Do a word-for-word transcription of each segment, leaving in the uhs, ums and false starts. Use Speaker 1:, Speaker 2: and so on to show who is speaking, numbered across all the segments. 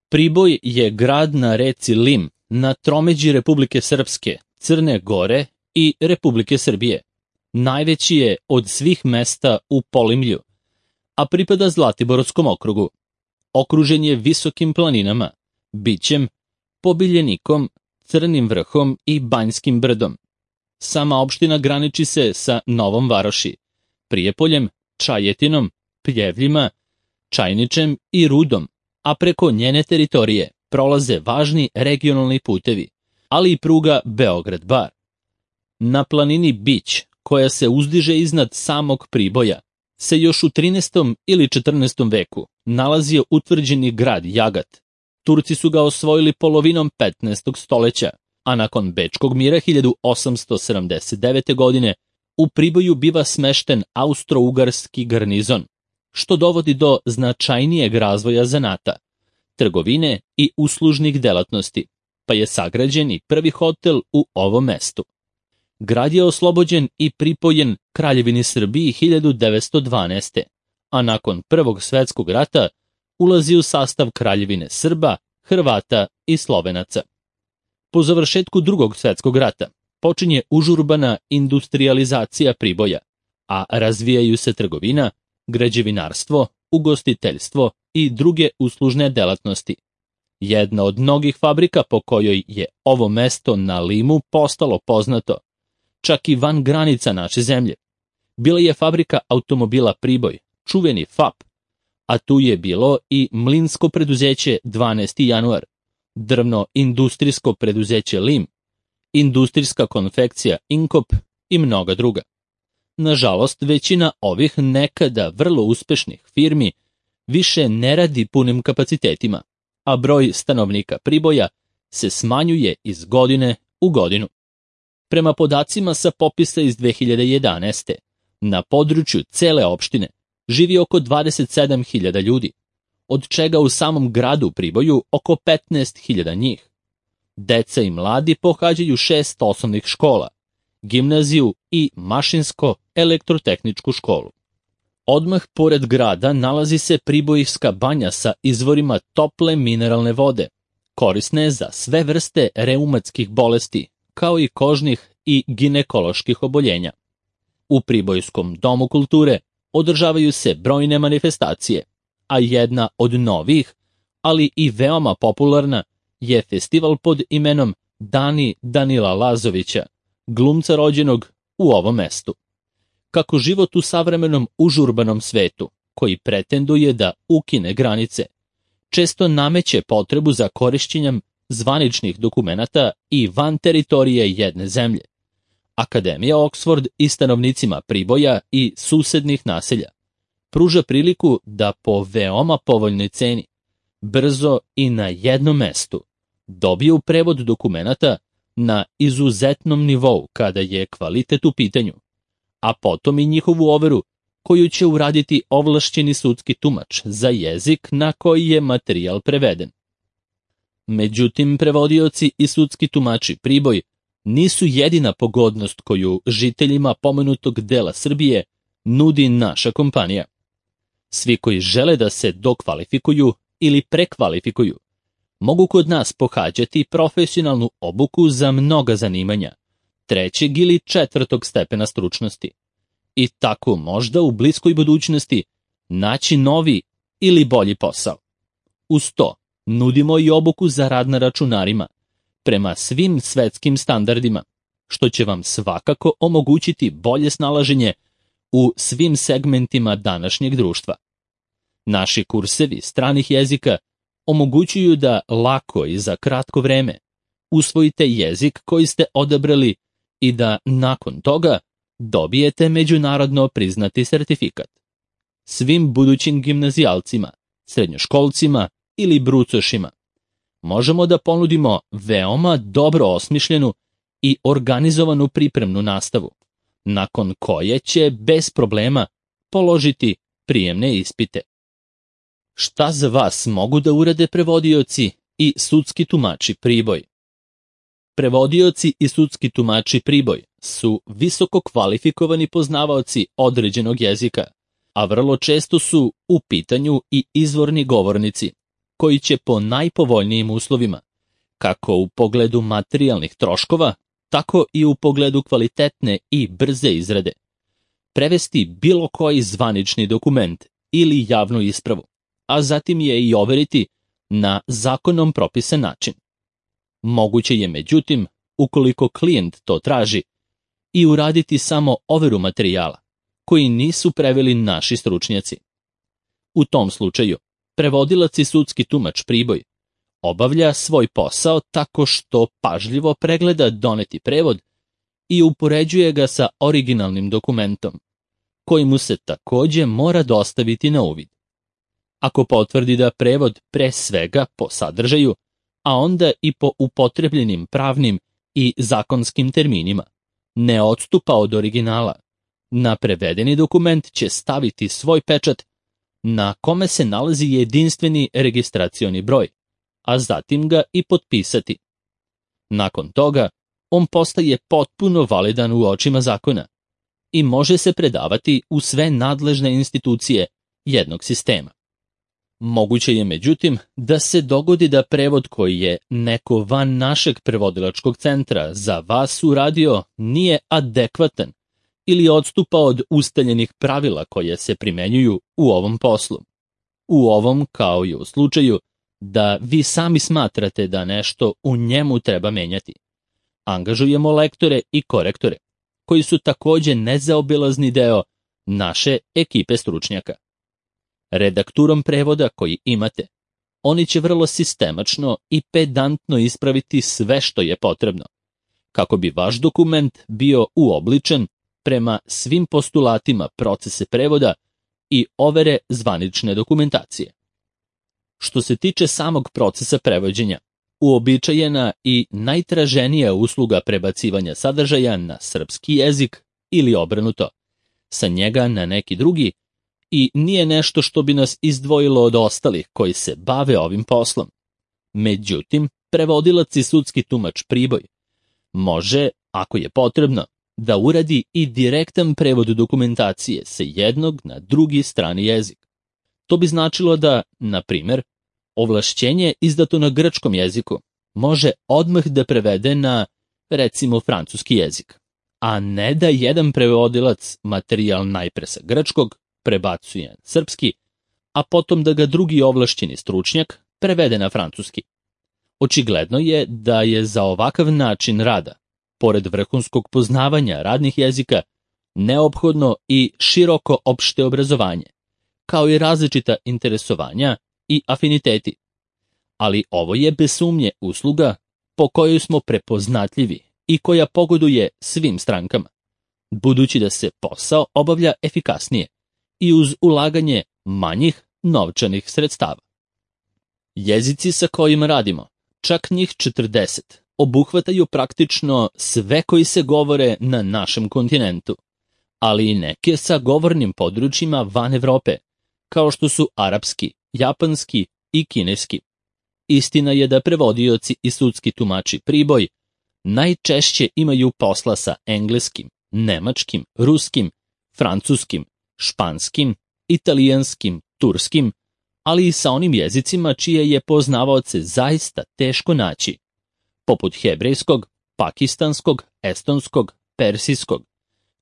Speaker 1: Priboj je grad na reci Lim, na tromeđi Republike Srpske, Crne Gore i Republike Srbije. Najveći je od svih mesta u Polimlju, a pripada Zlatiborskom okrugu. Okružen je visokim planinama, Bićem, Pobiljenikom, Crnim vrhom i Banjskim brdom. Sama opština graniči se sa Novom Varoši, Prijepoljem, Čajetinom, Pljevljima, Čajničem i Rudom, a preko njene teritorije prolaze važni regionalni putevi, ali i pruga Beograd-Bar. Na planini Bić, koja se uzdiže iznad samog Priboja, se još u trinaestom ili četrnaestom veku nalazio utvrđeni grad Jagat. Turci su ga osvojili polovinom petnaestog stoleća, a nakon Bečkog mira hiljadu osamsto sedamdeset devete. godine u Priboju biva smešten austro-ugarski garnizon, što dovodi do značajnijeg razvoja zanata, trgovine i uslužnih delatnosti, pa je sagrađen i prvi hotel u ovom mestu. Grad je oslobođen i pripojen Kraljevini Srbiji hiljadu devetsto dvanaeste. a nakon Prvog svetskog rata ulazi u sastav Kraljevine Srba, Hrvata i Slovenaca. Po završetku Drugog svetskog rata počinje užurbana industrijalizacija Priboja, a razvijaju se trgovina, građevinarstvo, ugostiteljstvo i druge uslužne delatnosti. Jedna od mnogih fabrika po kojoj je ovo mesto na Limu postalo poznato, čak i van granica naše zemlje, bila je fabrika automobila Priboj, čuveni F A P, a tu je bilo i mlinsko preduzeće dvanaesti januar, drvno-industrijsko preduzeće Lim, industrijska konfekcija Inkop i mnoga druga. Nažalost, većina ovih nekada vrlo uspešnih firmi više ne radi punim kapacitetima, a broj stanovnika Priboja se smanjuje iz godine u godinu. Prema podacima sa popisa iz dve hiljade jedanaeste. na području cele opštine živi oko dvadeset sedam hiljada ljudi, od čega u samom gradu Priboju oko petnaest hiljada njih. Deca i mladi pohađaju šest osnovnih škola, gimnaziju i mašinsko-elektrotehničku školu. Odmah pored grada nalazi se Pribojska banja sa izvorima tople mineralne vode, korisne za sve vrste reumatskih bolesti, kao i kožnih i ginekoloških oboljenja. U Pribojskom domu kulture održavaju se brojne manifestacije, a jedna od novih, ali i veoma popularna, je festival pod imenom Dani Danila Lazovića, glumca rođenog u ovom mestu. Kako život u savremenom užurbanom svetu, koji pretenduje da ukine granice, često nameće potrebu za korišćenjem zvaničnih dokumenata i van teritorije jedne zemlje. Akademija Oxford i stanovnicima Priboja i susednih naselja pruža priliku da po veoma povoljnoj ceni, brzo i na jednom mestu, dobiju prevod dokumenata na izuzetnom nivou kada je kvalitet u pitanju, a potom i njihovu overu koju će uraditi ovlašćeni sudski tumač za jezik na koji je materijal preveden. Međutim, prevodioci i sudski tumači Priboj nisu jedina pogodnost koju žiteljima pomenutog dela Srbije nudi naša kompanija. Svi koji žele da se dokvalifikuju ili prekvalifikuju mogu kod nas pohađati profesionalnu obuku za mnoga zanimanja, trećeg ili četvrtog stepena stručnosti, i tako možda u bliskoj budućnosti naći novi ili bolji posao. Uz to nudimo i obuku za rad na računarima, prema svim svetskim standardima, što će vam svakako omogućiti bolje snalaženje u svim segmentima današnjeg društva. Naši kursevi stranih jezika omogućuju da lako i za kratko vreme usvojite jezik koji ste odabrali i da nakon toga dobijete međunarodno priznati sertifikat. Svim budućim gimnazijalcima, srednjoškolcima ili brucošima možemo da ponudimo veoma dobro osmišljenu i organizovanu pripremnu nastavu, nakon koje će bez problema položiti prijemne ispite. Šta za vas mogu da urade prevodioci i sudski tumači Priboj? Prevodioci i sudski tumači Priboj su visoko kvalifikovani poznavaoci određenog jezika, a vrlo često su u pitanju i izvorni govornici, koji će po najpovoljnijim uslovima, kako u pogledu materijalnih troškova, tako i u pogledu kvalitetne i brze izrade, prevesti bilo koji zvanični dokument ili javnu ispravu, a zatim je i overiti na zakonom propisan način. Moguće je, međutim, ukoliko klijent to traži, i uraditi samo overu materijala, koji nisu preveli naši stručnjaci. U tom slučaju, prevodilac i sudski tumač Priboj obavlja svoj posao tako što pažljivo pregleda doneti prevod i upoređuje ga sa originalnim dokumentom, koji mu se takođe mora dostaviti na uvid. Ako potvrdi da prevod pre svega po sadržaju, a onda i po upotrebljenim pravnim i zakonskim terminima, ne odstupa od originala, na prevedeni dokument će staviti svoj pečat na kome se nalazi jedinstveni registracioni broj, a zatim ga i potpisati. Nakon toga, on postaje potpuno validan u očima zakona i može se predavati u sve nadležne institucije jednog sistema. Moguće je, međutim, da se dogodi da prevod koji je neko van našeg prevodilačkog centra za vas uradio nije adekvatan ili odstupa od ustaljenih pravila koje se primenjuju u ovom poslu. U ovom, kao i u slučaju da vi sami smatrate da nešto u njemu treba menjati, angažujemo lektore i korektore, koji su takođe nezaobilazni deo naše ekipe stručnjaka. Redakturom prevoda koji imate, oni će vrlo sistemačno i pedantno ispraviti sve što je potrebno, kako bi vaš dokument bio uobličen prema svim postulatima procese prevoda i overe zvanične dokumentacije. Što se tiče samog procesa prevođenja, uobičajena i najtraženija usluga prebacivanja sadržaja na srpski jezik ili obrnuto, sa njega na neki drugi, i nije nešto što bi nas izdvojilo od ostalih koji se bave ovim poslom. Međutim, prevodilac i sudski tumač Priboj može, ako je potrebno, da uradi i direktan prevod dokumentacije sa jednog na drugi strani jezik. To bi značilo da, na primer, ovlašćenje izdato na grčkom jeziku može odmah da prevede na, recimo, francuski jezik, a ne da jedan prevodilac materijal najpre sa grčkog prebacuje na srpski, a potom da ga drugi ovlašćeni stručnjak prevede na francuski. Očigledno je da je za ovakav način rada, pored vrhunskog poznavanja radnih jezika, neophodno i široko opšte obrazovanje, kao i različita interesovanja i afiniteti. Ali ovo je bez sumnje usluga po kojoj smo prepoznatljivi i koja pogoduje svim strankama, budući da se posao obavlja efikasnije i uz ulaganje manjih novčanih sredstava. Jezici sa kojima radimo, čak njih četrdeset, obuhvataju praktično sve koji se govore na našem kontinentu, ali i neke sa govornim područjima van Evrope, kao što su arapski, japanski i kineski. Istina je da prevodioci i sudski tumači Priboj najčešće imaju posla sa engleskim, nemačkim, ruskim, francuskim, španskim, italijanskim, turskim, ali i sa onim jezicima čije je poznavaoce zaista teško naći, poput hebrejskog, pakistanskog, estonskog, persijskog,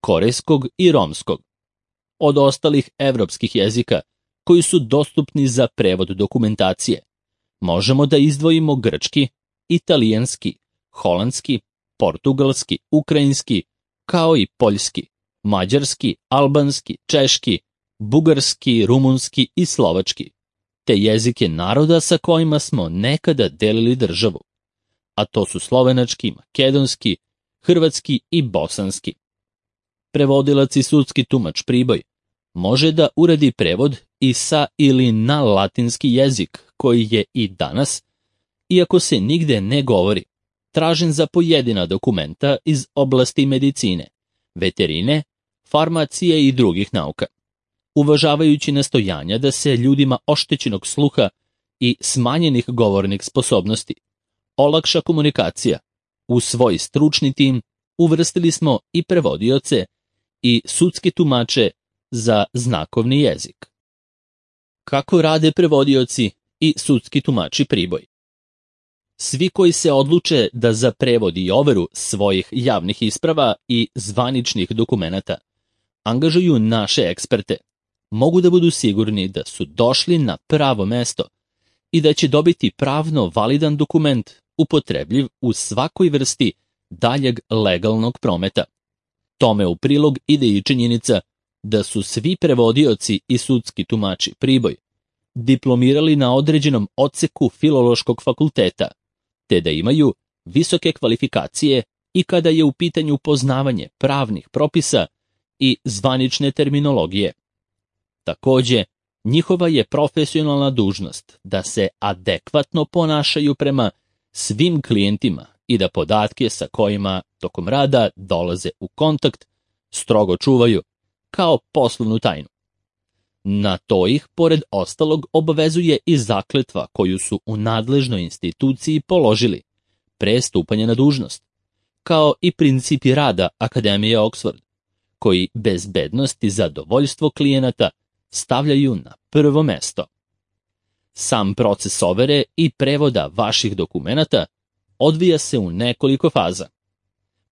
Speaker 1: korejskog i romskog. Od ostalih evropskih jezika koji su dostupni za prevod dokumentacije, možemo da izdvojimo grčki, italijanski, holandski, portugalski, ukrajinski, kao i poljski, mađarski, albanski, češki, bugarski, rumunski i slovački, te jezike naroda sa kojima smo nekada delili državu, a to su slovenački, makedonski, hrvatski i bosanski. Prevodilac i sudski tumač Priboj može da uradi prevod i sa ili na latinski jezik, koji je i danas, iako se nigde ne govori, tražen za pojedina dokumenta iz oblasti medicine, veterine, farmacije i drugih nauka. Uvažavajući nastojanja da se ljudima oštećenog sluha i smanjenih govornih sposobnosti olakša komunikacija, u svoj stručni tim uvrstili smo i prevodioce i sudske tumače za znakovni jezik. Kako rade prevodioci i sudski tumači Priboj. Svi koji se odluče da za prevod i overu svojih javnih isprava i zvaničnih dokumenata angažuju naše eksperte, mogu da budu sigurni da su došli na pravo mesto i da će dobiti pravno validan dokument upotrebljiv u svakoj vrsti daljeg legalnog prometa. Tome u prilog ide i činjenica da su svi prevodioci i sudski tumači Priboj diplomirali na određenom odseku Filološkog fakulteta, te da imaju visoke kvalifikacije i kada je u pitanju poznavanje pravnih propisa i zvanične terminologije. Takođe, njihova je profesionalna dužnost da se adekvatno ponašaju prema svim klijentima i da podatke sa kojima tokom rada dolaze u kontakt strogo čuvaju kao poslovnu tajnu. Na to ih, pored ostalog, obavezuje i zakletva koju su u nadležnoj instituciji položili pre stupanja na dužnost, kao i principi rada Akademije Oxford, koji bezbednost i zadovoljstvo klijenata stavljaju na prvo mesto. Sam proces overe i prevoda vaših dokumenata odvija se u nekoliko faza.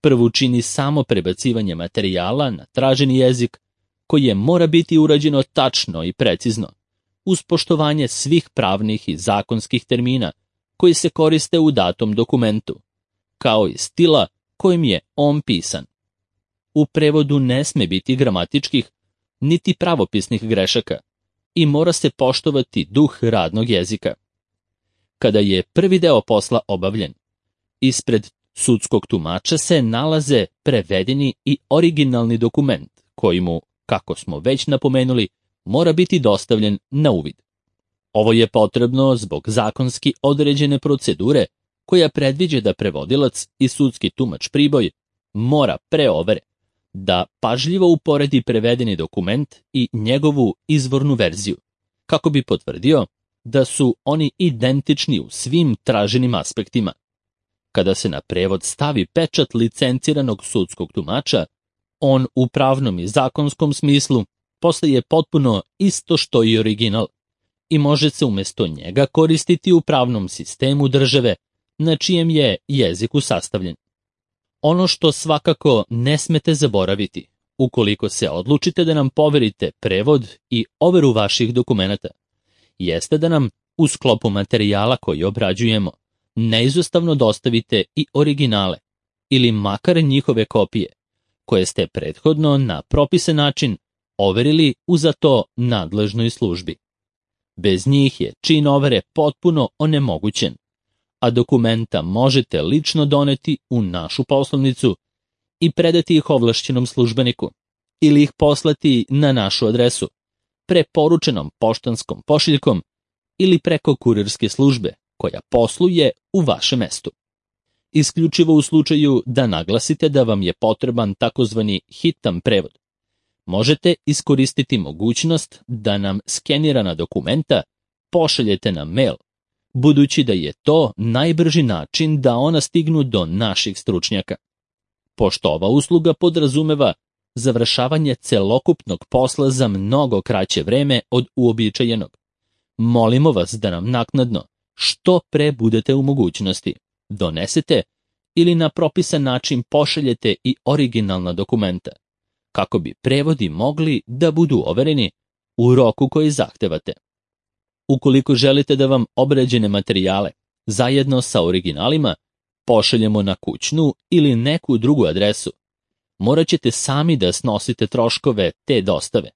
Speaker 1: Prvu čini samo prebacivanje materijala na traženi jezik, koje mora biti urađeno tačno i precizno, uz poštovanje svih pravnih i zakonskih termina koji se koriste u datom dokumentu, kao i stila kojim je on pisan. U prevodu ne sme biti gramatičkih niti pravopisnih grešaka i mora se poštovati duh radnog jezika. Kada je prvi deo posla obavljen, ispred sudskog tumača se nalaze prevedeni i originalni dokument koji mu, kako smo već napomenuli, mora biti dostavljen na uvid. Ovo je potrebno zbog zakonski određene procedure koja predviđa da prevodilac i sudski tumač Priboj mora pre overe da pažljivo uporedi prevedeni dokument i njegovu izvornu verziju, kako bi potvrdio da su oni identični u svim traženim aspektima. Kada se na prevod stavi pečat licenciranog sudskog tumača, on u pravnom i zakonskom smislu postaje potpuno isto što i original i može se umjesto njega koristiti u pravnom sistemu države na čijem je jeziku sastavljen. Ono što svakako ne smete zaboraviti, ukoliko se odlučite da nam poverite prevod i overu vaših dokumenata, jeste da nam u sklopu materijala koji obrađujemo neizostavno dostavite i originale ili makar njihove kopije, koje ste prethodno na propisan način overili u za to nadležnoj službi. Bez njih je čin overe potpuno onemogućen, a dokumenta možete lično doneti u našu poslovnicu i predati ih ovlašćenom službeniku ili ih poslati na našu adresu, preporučenom poštanskom pošiljkom ili preko kurirske službe koja posluje u vašem mestu. Isključivo u slučaju da naglasite da vam je potreban takozvani hitan prevod, možete iskoristiti mogućnost da nam skenirana dokumenta pošaljete na mail, budući da je to najbrži način da ona stignu do naših stručnjaka. Pošto ova usluga podrazumeva završavanje celokupnog posla za mnogo kraće vreme od uobičajenog, molimo vas da nam naknadno, što pre budete u mogućnosti, donesete ili na propisan način pošaljete i originalna dokumenta, kako bi prevodi mogli da budu overeni u roku koji zahtevate. Ukoliko želite da vam obrađene materijale, zajedno sa originalima, pošaljemo na kućnu ili neku drugu adresu, morat ćete sami da snosite troškove te dostave,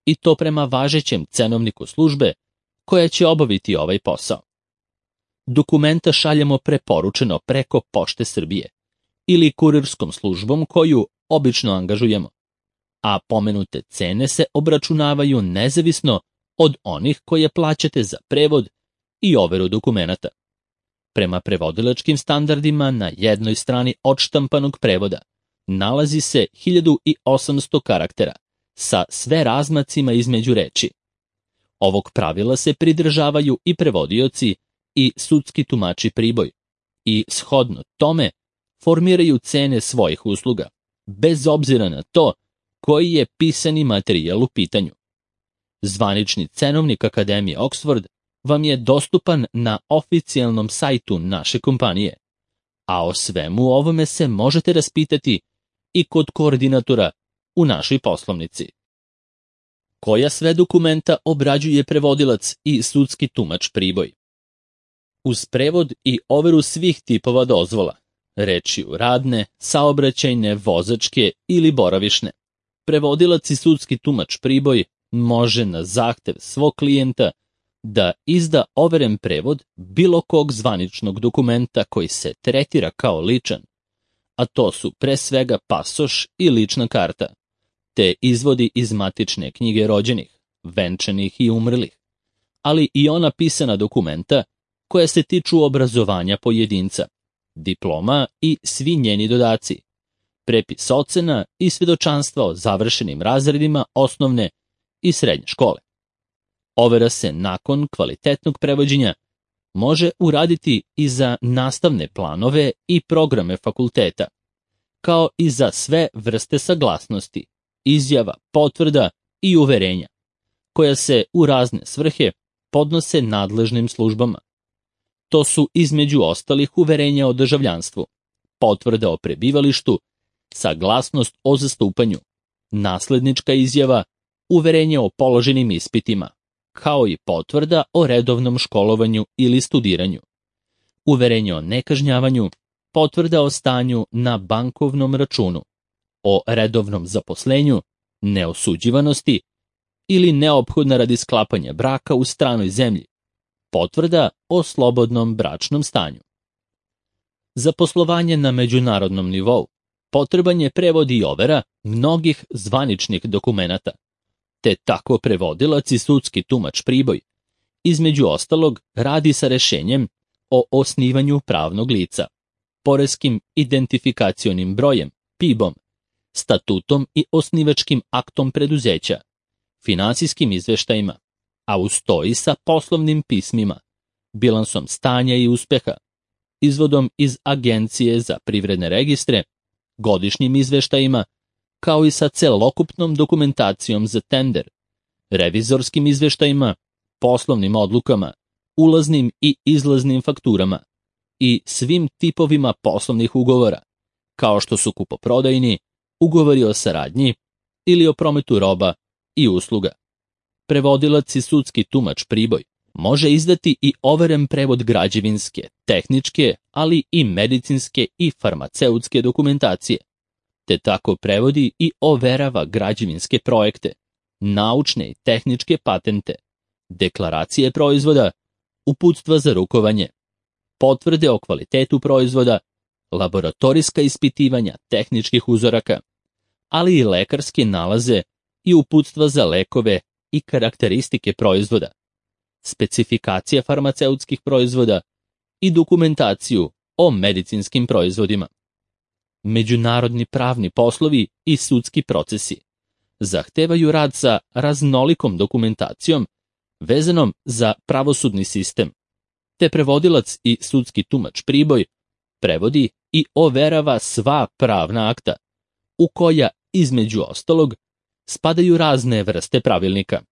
Speaker 1: i to prema važećem cenovniku službe koja će obaviti ovaj posao. Dokumenta šaljemo preporučeno preko Pošte Srbije ili kurirskom službom koju obično angažujemo, a pomenute cene se obračunavaju nezavisno od onih koje plaćate za prevod i overu dokumenata. Prema prevodilačkim standardima na jednoj strani odštampanog prevoda nalazi se hiljadu osamsto karaktera sa sve razmacima između reči. Ovog pravila se pridržavaju i prevodioci i sudski tumači Priboj i shodno tome formiraju cene svojih usluga, bez obzira na to koji je pisani materijal u pitanju. Zvanični cenovnik Akademije Oxford vam je dostupan na oficijalnom sajtu naše kompanije, a o svemu ovome se možete raspitati i kod koordinatora u našoj poslovnici. Koja sve dokumenta obrađuje prevodilac i sudski tumač Priboj? Uz prevod i overu svih tipova dozvola, rečju radne, saobraćajne, vozačke ili boravišne, prevodilac i sudski tumač Priboj može na zahtev svog klijenta da izda overen prevod bilo kog zvaničnog dokumenta koji se tretira kao ličan, a to su pre svega pasoš i lična karta, te izvodi iz matične knjige rođenih, venčanih i umrlih, ali i ona pisana dokumenta koja se tiču obrazovanja pojedinca, diploma i svi njeni dodaci, prepis ocena i svedočanstva o završenim razredima osnovne i srednje škole. Overa se nakon kvalitetnog prevođenja može uraditi i za nastavne planove i programe fakulteta, kao i za sve vrste saglasnosti, izjava, potvrda i uverenja, koja se u razne svrhe podnose nadležnim službama. To su između ostalih uverenja o državljanstvu, potvrda o prebivalištu, saglasnost o zastupanju, naslednička izjava, uverenje o položenim ispitima, kao i potvrda o redovnom školovanju ili studiranju, uverenje o nekažnjavanju, potvrda o stanju na bankovnom računu, o redovnom zaposlenju, neosuđivanosti ili neophodna radi sklapanja braka u stranoj zemlji, potvrda o slobodnom bračnom stanju. Za poslovanje na međunarodnom nivou potreban je prevod i overa mnogih zvaničnih dokumenata, te tako prevodilac i sudski tumač Priboj, između ostalog, radi sa rešenjem o osnivanju pravnog lica, poreskim identifikacionim brojem, P I B-om, statutom i osnivačkim aktom preduzeća, finansijskim izveštajima, a uz to i sa poslovnim pismima, bilansom stanja i uspeha, izvodom iz Agencije za privredne registre, godišnjim izveštajima, kao i sa celokupnom dokumentacijom za tender, revizorskim izveštajima, poslovnim odlukama, ulaznim i izlaznim fakturama i svim tipovima poslovnih ugovora, kao što su kupoprodajni, ugovori o saradnji ili o prometu roba i usluga. Prevodilac i sudski tumač Priboj može izdati i overen prevod građevinske, tehničke, ali i medicinske i farmaceutske dokumentacije, te tako prevodi i overava građevinske projekte, naučne i tehničke patente, deklaracije proizvoda, uputstva za rukovanje, potvrde o kvalitetu proizvoda, laboratorijska ispitivanja tehničkih uzoraka, ali i lekarske nalaze i uputstva za lekove i karakteristike proizvoda, specifikacija farmaceutskih proizvoda i dokumentaciju o medicinskim proizvodima. Međunarodni pravni poslovi i sudski procesi zahtevaju rad sa raznolikom dokumentacijom vezanom za pravosudni sistem, te prevodilac i sudski tumač Priboj prevodi i overava sva pravna akta, u koja, između ostalog, spadaju razne vrste pravilnika,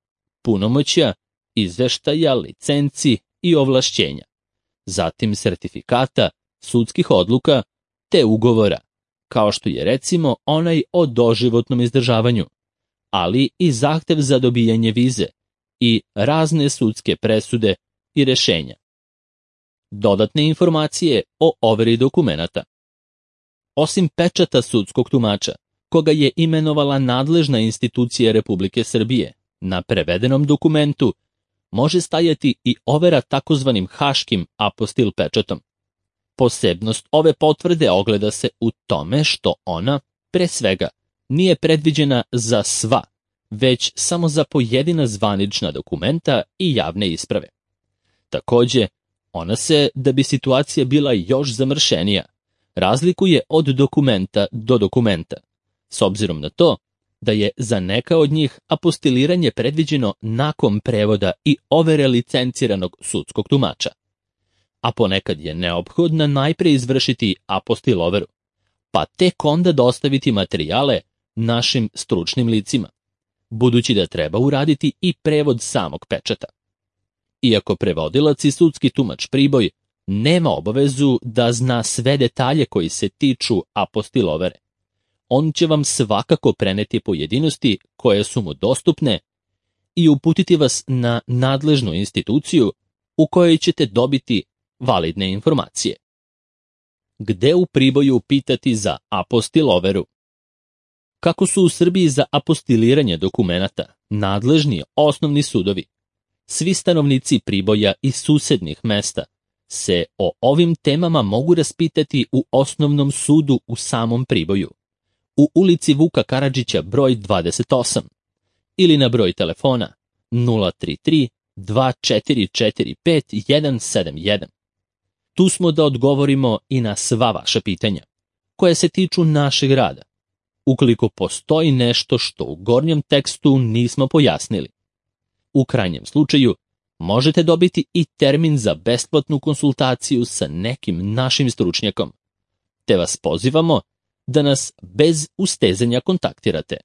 Speaker 1: punomoćja, izveštaja, licenci i ovlašćenja, zatim sertifikata, sudskih odluka te ugovora, kao što je recimo onaj o doživotnom izdržavanju, ali i zahtev za dobijanje vize i razne sudske presude i rešenja. Dodatne informacije o overi dokumenata. Osim pečata sudskog tumača, koga je imenovala nadležna institucija Republike Srbije, na prevedenom dokumentu može stajati i overa takozvanim haškim apostil pečatom. Posebnost ove potvrde ogleda se u tome što ona, pre svega, nije predviđena za sva, već samo za pojedina zvanična dokumenta i javne isprave. Takođe, ona se, da bi situacija bila još zamršenija, razlikuje od dokumenta do dokumenta, s obzirom na to da je za neka od njih apostiliranje predviđeno nakon prevoda i overe licenciranog sudskog tumača, a ponekad je neophodno najpre izvršiti apostil overu, pa tek onda dostaviti materijale našim stručnim licima, budući da treba uraditi i prevod samog pečata. iako prevodilac i sudski tumač Priboj nema obavezu da zna sve detalje koji se tiču apostilovere. On će vam svakako preneti pojedinosti koje su mu dostupne i uputiti vas na nadležnu instituciju u kojoj ćete dobiti validne informacije. Gde u Priboju pitati za apostiloveru? Kako su u Srbiji za apostiliranje dokumenata nadležni osnovni sudovi, svi stanovnici Priboja i susednih mesta se o ovim temama mogu raspitati u osnovnom sudu u samom Priboju, u ulici Vuka Karadžića broj dvadeset osam ili na broj telefona nula tri tri dva četiri četiri pet jedan sedam jedan. Tu smo da odgovorimo i na sva vaša pitanja, koje se tiču našeg rada, ukoliko postoji nešto što u gornjem tekstu nismo pojasnili. U krajnjem slučaju, možete dobiti i termin za besplatnu konsultaciju sa nekim našim stručnjakom, te vas pozivamo da nas bez ustezanja kontaktirate.